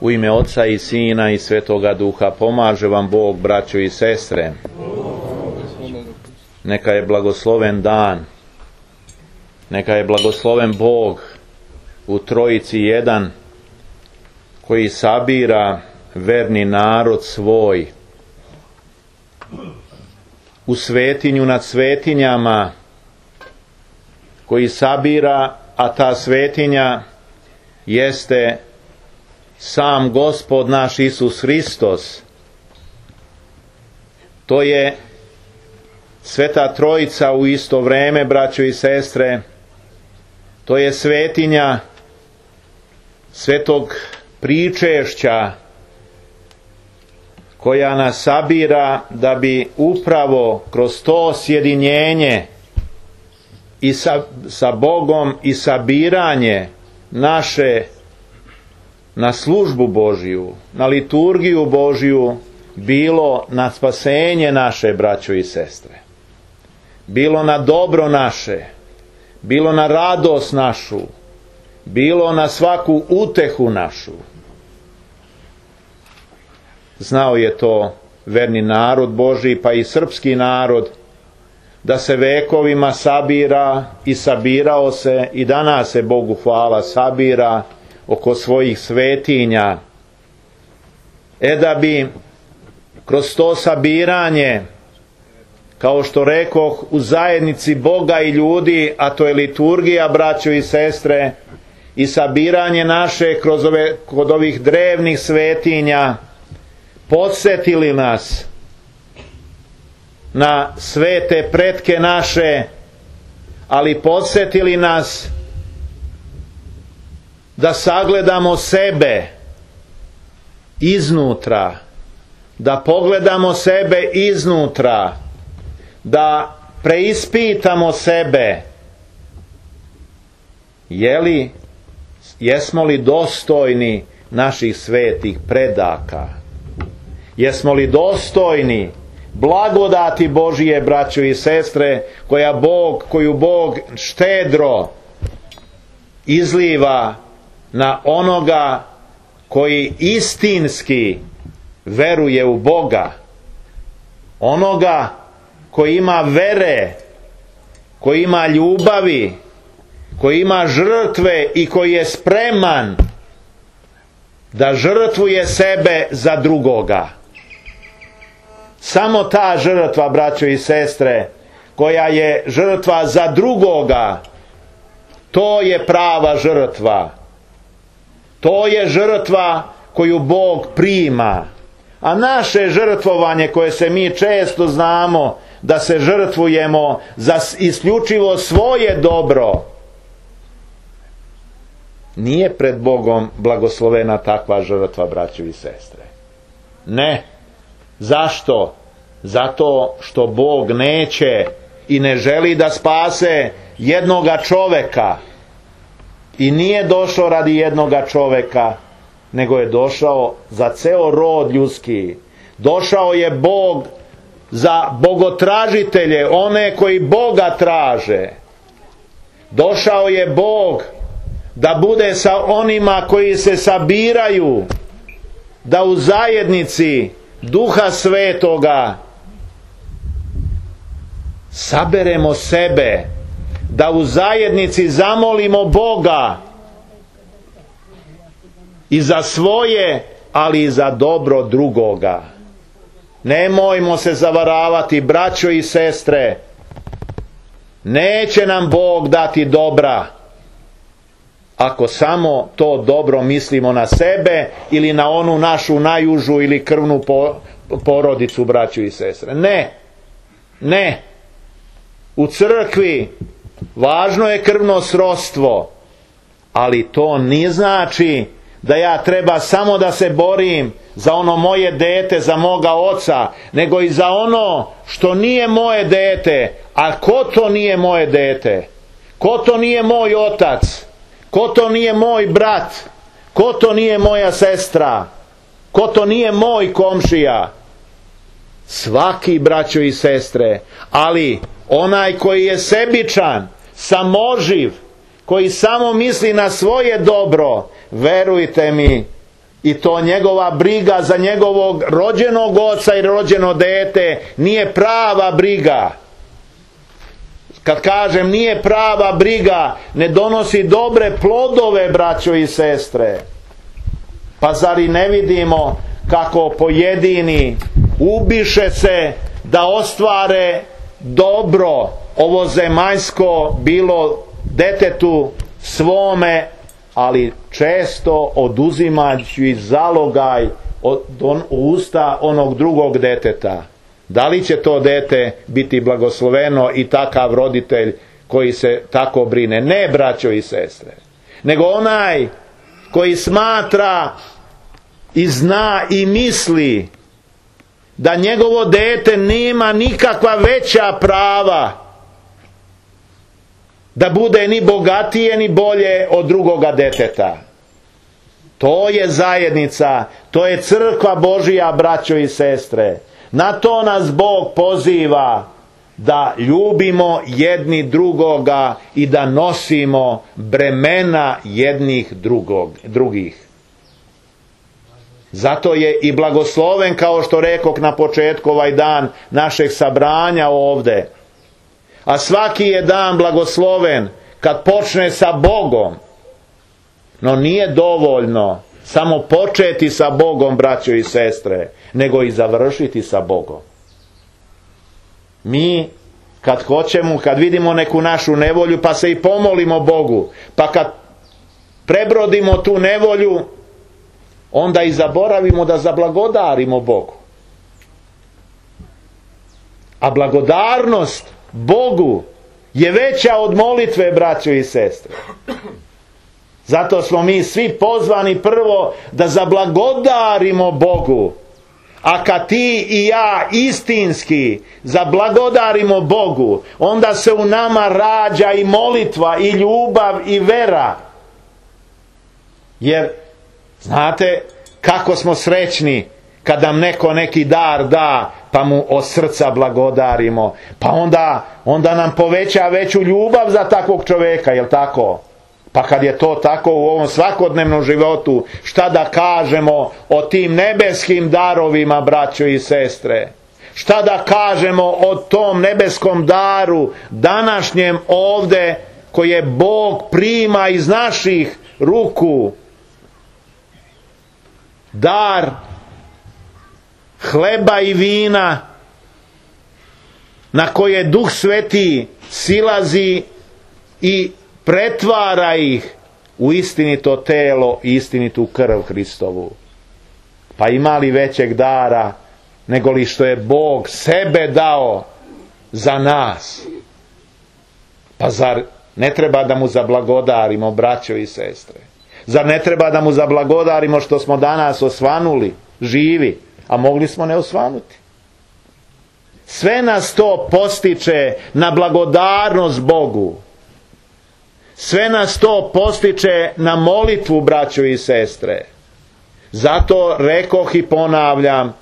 U ime Oca i Sina i Svetoga Duha pomaže vam Bog, braćo i sestre. Neka je blagosloven dan. Neka je blagosloven Bog u Trojici jedan, koji sabira verni narod svoj u svetinju nad svetinjama, koji sabira, a ta svetinja jeste sam Gospod naš Isus Hristos. To je Sveta Trojica u isto vreme, braćo i sestre. To je svetinja svetog pričešća koja nas sabira da bi upravo kroz to sjedinjenje i sa Bogom i sabiranje naše na službu Božju, na liturgiju Božju, bilo na spasenje naše, braćo i sestre, bilo na dobro naše, bilo na radost našu, bilo na svaku utehu našu. Znao je to verni narod Božji, pa i srpski narod, da se vekovima sabira i sabirao se, i danas se, Bogu hvala, sabira oko svojih svetinja. Da bi kroz to sabiranje, kao što rekoh, u zajednici Boga i ljudi, a to je liturgija, braćo i sestre, i sabiranje naše kod ovih drevnih svetinja, podsjetili nas na svete pretke naše, ali podsjetili nas da sagledamo sebe iznutra, da pogledamo sebe iznutra, da preispitamo sebe. Jesmo li dostojni naših svetih predaka? Jesmo li dostojni blagodati Božije, braćo i sestre, koju Bog štedro izliva na onoga koji istinski veruje u Boga, onoga koji ima vere, koji ima ljubavi, koji ima žrtve i koji je spreman da žrtvuje sebe za drugoga. Samo ta žrtva, braćo i sestre, koja je žrtva za drugoga, to je prava žrtva. To je žrtva koju Bog prima. A naše žrtvovanje, koje se mi često znamo da se žrtvujemo za isključivo svoje dobro, nije pred Bogom blagoslovena takva žrtva, braćo i sestre. Ne. Zašto? Zato što Bog neće i ne želi da spase jednoga čoveka. I nije došao radi jednoga čoveka, nego je došao za ceo rod ljudski. Došao je Bog za bogotražitelje, one koji Boga traže. Došao je Bog da bude sa onima koji se sabiraju, da u zajednici Duha Svetoga saberemo sebe, da u zajednici zamolimo Boga i za svoje, ali i za dobro drugoga. Nemojmo se zavaravati, braćo i sestre, neće nam Bog dati dobra ako samo to dobro mislimo na sebe ili na onu našu najužu ili krvnu porodicu, braćo i sestre. Ne. U crkvi važno je krvno srodstvo, ali to ne znači da ja treba samo da se borim za ono moje dete, za moga oca, nego i za ono što nije moje dete. A ko to nije moje dete? Ko to nije moj otac? Ko to nije moj brat? Ko to nije moja sestra? Ko to nije moj komšija? Svaki, braćo i sestre, ali onaj koji je sebičan, samoživ, koji samo misli na svoje dobro, verujte mi I to njegova briga za njegovog rođenog oca i rođeno dete nije prava briga. Kad kažem nije prava briga, ne donosi dobre plodove, braćo i sestre. Pa zar i ne vidimo kako pojedini ubiše se da ostvare dobro ovozemaljsko, bilo detetu svome, ali često oduzimajući zalogaj od usta onog drugog deteta. Da li će to dete biti blagosloveno i takav roditelj koji se tako brine? Ne, braćo i sestre, nego onaj koji smatra i zna i misli da njegovo dete nema nikakva veća prava da bude ni bogatije ni bolje od drugoga deteta. To je zajednica, to je crkva Božija, braćo i sestre. Na to nas Bog poziva, da ljubimo jedni drugoga i da nosimo bremena jednih drugih. Zato je i blagosloven, kao što rekoh na početku, ovaj dan našeg sabranja ovde. A svaki je dan blagosloven kad počne sa Bogom. No nije dovoljno samo početi sa Bogom, braćo i sestre, nego i završiti sa Bogom. Mi kad hoćemo, kad vidimo neku našu nevolju, pa se i pomolimo Bogu, pa kad prebrodimo tu nevolju, onda i zaboravimo da zablagodarimo Bogu. A blagodarnost Bogu je veća od molitve, braćo i sestre. Zato smo mi svi pozvani prvo da zablagodarimo Bogu. A kad ti i ja istinski zablagodarimo Bogu, onda se u nama rađa i molitva, i ljubav, i vera. Jer znate kako smo srećni kad nam neko neki dar da, pa mu od srca blagodarimo. Pa onda nam poveća veću ljubav za takvog čovjeka, jel tako? Pa kad je to tako u ovom svakodnevnom životu, šta da kažemo o tim nebeskim darovima, braćo i sestre? Šta da kažemo o tom nebeskom daru današnjem ovde koje Bog prima iz naših ruku? Dar hleba i vina na koje Duh Sveti silazi i pretvara ih u istinito telo i istinitu krv Hristovu. Pa ima li većeg dara nego li što je Bog sebe dao za nas? Pa zar ne treba da mu zablagodarimo, braćo i sestre? Zar ne treba da mu zablagodarimo što smo danas osvanuli, živi, a mogli smo ne osvanuti? Sve nas to postiče na blagodarnost Bogu. Sve nas to postiče na molitvu, braćo i sestre. Zato rekoh i ponavljam,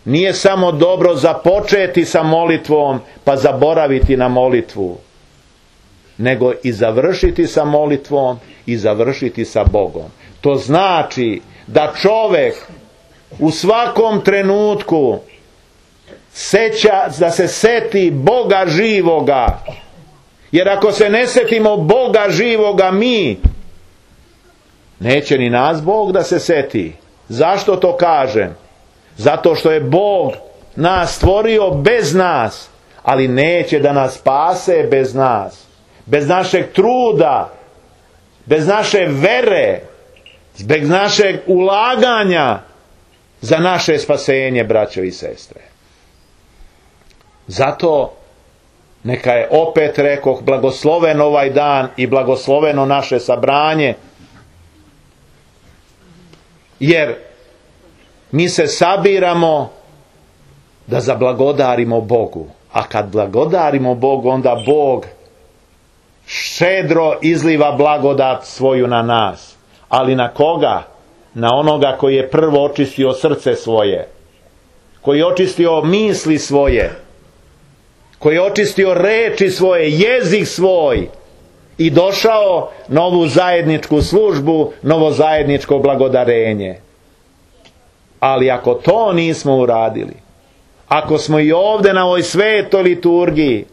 nije samo dobro započeti sa molitvom pa zaboraviti na molitvu, nego i završiti sa molitvom i završiti sa Bogom. To znači da čovjek u svakom trenutku da se seti Boga živoga. Jer ako se ne setimo Boga živoga mi, neće ni nas Bog da se seti. Zašto to kažem? Zato što je Bog nas stvorio bez nas, ali neće da nas spase bez nas. Bez našeg truda, bez naše vere, bez našeg ulaganja za naše spasenje, braćo i sestre. Zato neka je, opet rekoh, blagosloven ovaj dan i blagosloveno naše sabranje, jer mi se sabiramo da zablagodarimo Bogu. A kad blagodarimo Bogu, onda Bog šedro izliva blagodat svoju na nas. Ali na koga? Na onoga koji je prvo očistio srce svoje, koji je očistio misli svoje, koji je očistio reči svoje, jezik svoj i došao na ovu zajedničku službu, novo zajedničko blagodarenje. Ali ako to nismo uradili, ako smo i ovdje na ovoj svetoj liturgiji,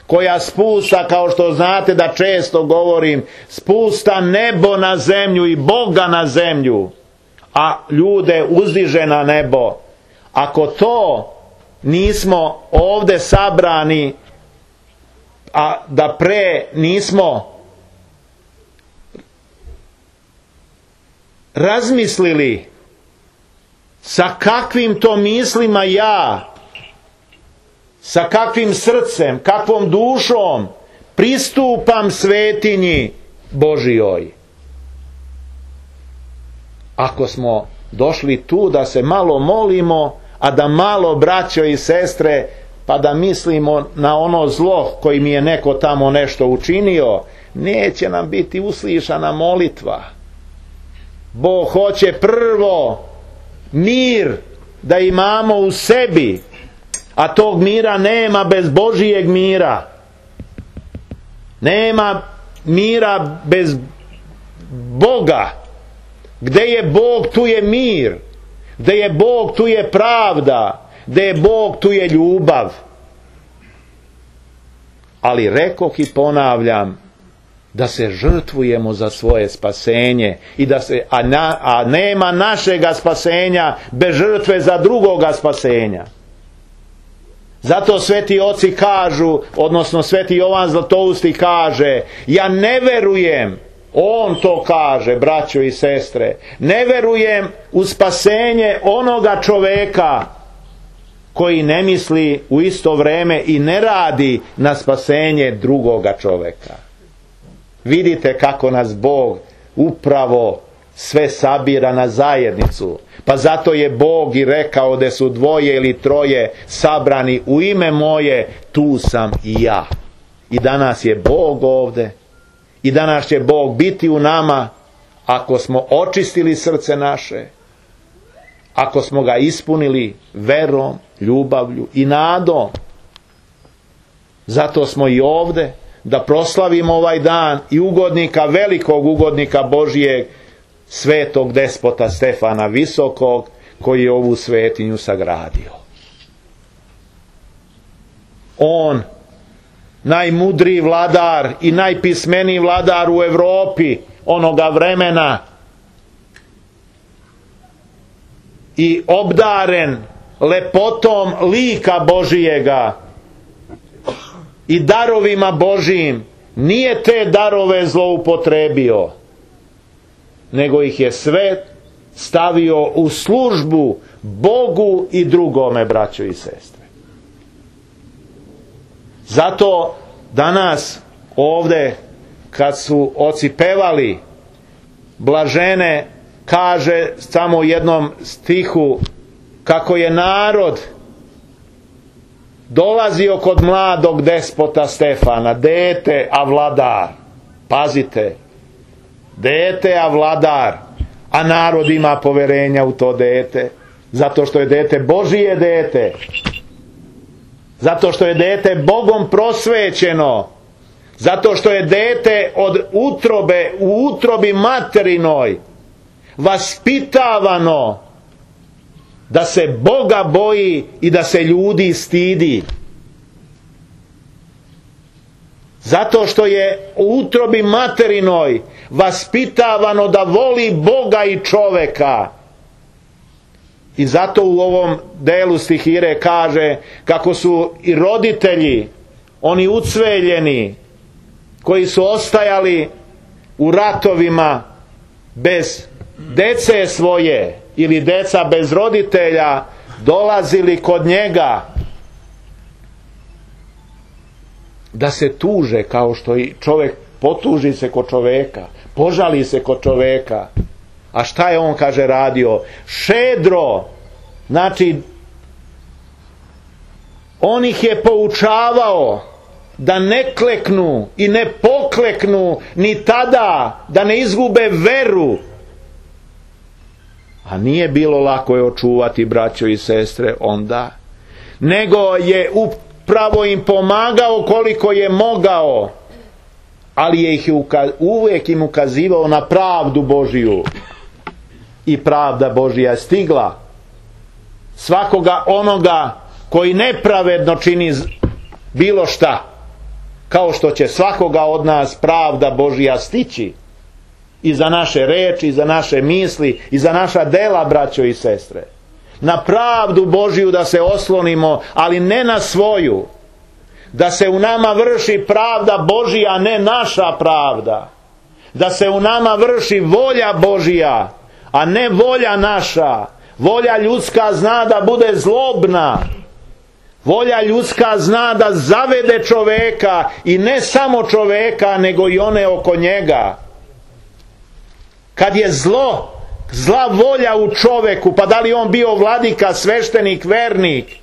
koja spusta, kao što znate da često govorim, spusta nebo na zemlju i Boga na zemlju, a ljude uzdiže na nebo, ako to nismo ovdje sabrani, a da pre nismo razmislili sa kakvim to mislima ja, sa kakvim srcem, kakvom dušom pristupam svetinji Božijoj. Ako smo došli tu da se malo molimo, a da malo, braćo i sestre, pa da mislimo na ono zlo koji mi je neko tamo nešto učinio, neće nam biti uslišana molitva. Bog hoće prvo mir da imamo u sebi, a tog mira nema bez Božijeg mira. Nema mira bez Boga. Gde je Bog, tu je mir. Gde je Bog, tu je pravda. Gde je Bog, tu je ljubav. Ali rekoh i ponavljam, da se žrtvujemo za svoje spasenje i da se, a nema našega spasenja bez žrtve za drugoga spasenja. Zato sveti oci kažu, odnosno sveti Jovan Zlatousti kaže, ja ne verujem, on to kaže, braćo i sestre, ne verujem u spasenje onoga čoveka koji ne misli u isto vreme i ne radi na spasenje drugoga čoveka. Vidite kako nas Bog upravo sve sabira na zajednicu. Pa zato je Bog i rekao da su dvoje ili troje sabrani u ime moje, tu sam i ja. I danas je Bog ovdje. I danas će Bog biti u nama ako smo očistili srce naše, ako smo ga ispunili verom, ljubavlju i nadom. Zato smo i ovdje da proslavimo ovaj dan i ugodnika, velikog ugodnika Božijeg, svetog despota Stefana Visokog, koji je ovu svetinju sagradio. On, najmudriji vladar i najpismeniji vladar u Europi onoga vremena i obdaren lepotom lika Božijega i darovima Božijim, nije te darove zloupotrebio, nego ih je sve stavio u službu Bogu i drugome, braćo i sestre. Zato danas ovdje kad su oci pevali blažene, kaže samo u jednom stihu kako je narod dolazio kod mladog despota Stefana, dete a vladar. Pazite, dete a vladar, a narod ima poverenja u to dete, zato što je dete Božije dete, zato što je dete Bogom prosvećeno, zato što je dete od utrobe, u utrobi materinoj vaspitavano da se Boga boji i da se ljudi stidi. Zato što je u utrobi materinoj vaspitavano da voli Boga i čoveka. I zato u ovom delu stihire kaže kako su i roditelji, oni ucveljeni, koji su ostajali u ratovima bez dece svoje ili deca bez roditelja, dolazili kod njega da se tuže, kao što i čovjek potuži se kod čovjeka, požali se kod čovjeka. A šta je on, kaže, radio? Šedro, znači on ih je poučavao da ne kleknu i ne pokleknu ni tada, da ne izgube veru. A nije bilo lako je očuvati, braćo i sestre, onda, nego je upravo im pomagao koliko je mogao, ali je ih uvijek im ukazivao na pravdu Božiju. I pravda Božja je stigla svakoga onoga koji nepravedno čini bilo šta, kao što će svakoga od nas pravda Božja stići i za naše reči, i za naše misli, i za naša dela, braćo i sestre. Na pravdu Božju da se oslonimo, ali ne na svoju. Da se u nama vrši pravda Božja, a ne naša pravda. Da se u nama vrši volja Božja, a ne volja naša. Volja ljudska zna da bude zlobna. Volja ljudska zna da zavede čoveka, i ne samo čoveka, nego i one oko njega. Kad je zla volja u čoveku, pa da li on bio vladika, sveštenik, vernik,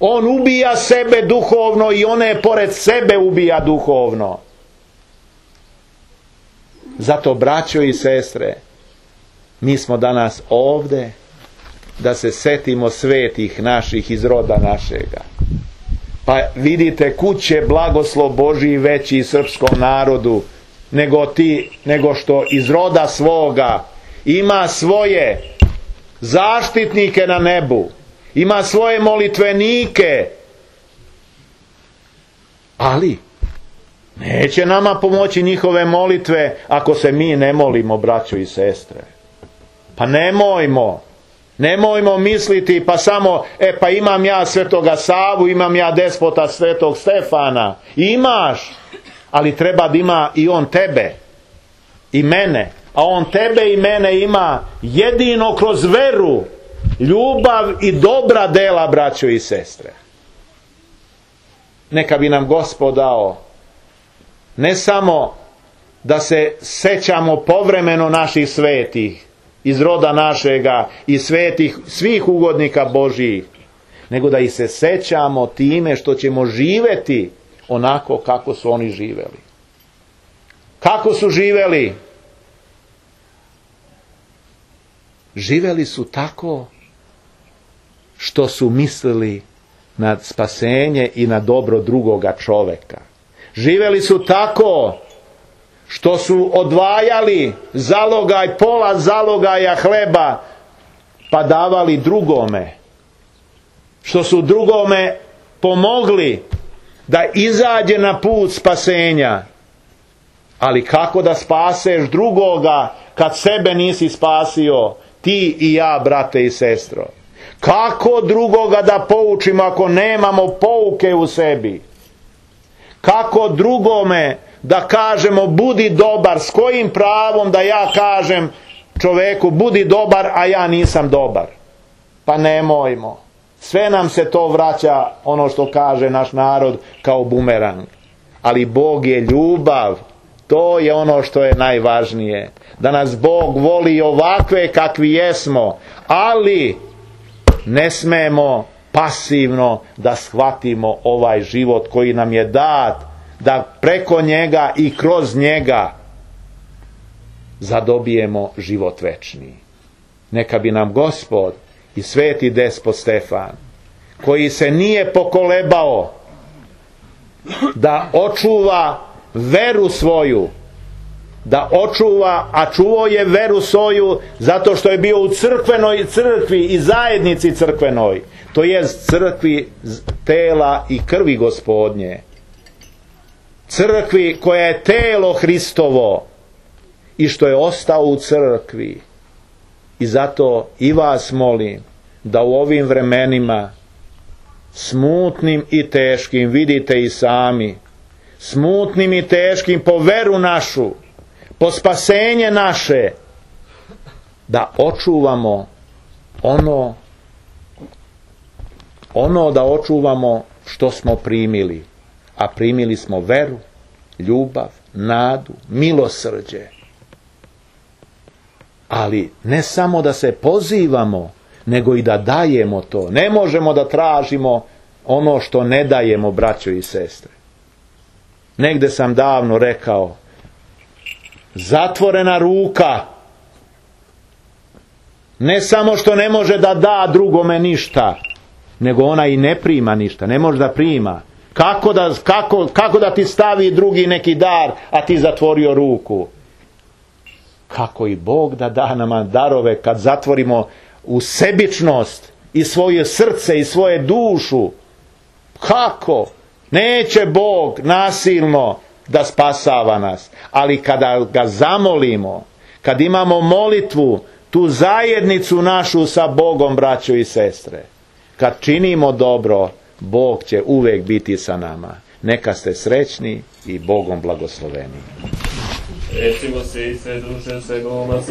on ubija sebe duhovno i one pored sebe ubija duhovno. Zato, braćo i sestre, mi smo danas ovde da se setimo svetih naših iz roda našega. Pa vidite, kud će blagoslov Božji veći srpskom narodu nego što iz roda svoga ima svoje zaštitnike na nebu, ima svoje molitvenike, ali neće nama pomoći njihove molitve ako se mi ne molimo, braćo i sestre. Pa nemojmo misliti pa samo, pa imam ja svetoga Savu, imam ja despota svetog Stefana. Imaš, ali treba da ima i on tebe i mene, a on tebe i mene ima jedino kroz veru, ljubav i dobra dela, braćo i sestre. Neka bi nam Gospod dao ne samo da se sećamo povremeno naših svetih iz roda našega i svetih svih ugodnika Božjih, nego da ih se sećamo time što ćemo živeti onako kako su oni živeli. Kako su živeli? Živeli su tako što su mislili na spasenje i na dobro drugoga čoveka. Živeli su tako što su odvajali pola zalogaja hleba pa davali drugome. Što su drugome pomogli da izađe na put spasenja. Ali kako da spaseš drugoga kad sebe nisi spasio, ti i ja, brate i sestro? Kako drugoga da poučimo ako nemamo pouke u sebi? Kako drugome da kažemo budi dobar? S kojim pravom da ja kažem čoveku budi dobar, a ja nisam dobar? Pa nemojmo. Sve nam se to vraća, ono što kaže naš narod, kao bumerang. Ali Bog je ljubav. To je ono što je najvažnije. Da nas Bog voli ovakve kakvi jesmo, ali ne smemo pasivno da shvatimo ovaj život koji nam je dat, da preko njega i kroz njega zadobijemo život večni. Neka bi nam Gospod i sveti despot Stefan, koji se nije pokolebao da očuva veru svoju, da očuva, a čuvao je veru svoju zato što je bio u crkvi i zajednici crkvenoj, to jest crkvi tela i krvi Gospodnje, crkvi koja je telo Hristovo i što je ostao u crkvi. I zato i vas molim da u ovim vremenima smutnim i teškim, vidite i sami, smutnim i teškim po veru našu, po spasenje naše, da očuvamo ono da očuvamo što smo primili. A primili smo veru, ljubav, nadu, milosrđe. Ali ne samo da se pozivamo, nego i da dajemo to. Ne možemo da tražimo ono što ne dajemo, braćo i sestre. Negde sam davno rekao, zatvorena ruka ne samo što ne može da da drugome ništa, nego ona i ne prima ništa, ne može da prima. Kako da ti stavi drugi neki dar, a ti zatvorio ruku? Kako i Bog da nama darove kad zatvorimo u sebičnost i svoje srce i svoje dušu. Kako? Neće Bog nasilno da spasava nas, ali kada ga zamolimo, kad imamo molitvu, tu zajednicu našu sa Bogom, braćo i sestre, kad činimo dobro, Bog će uvijek biti sa nama. Neka ste srećni i Bogom blagosloveni. Recimo se i sve duše, sve goma,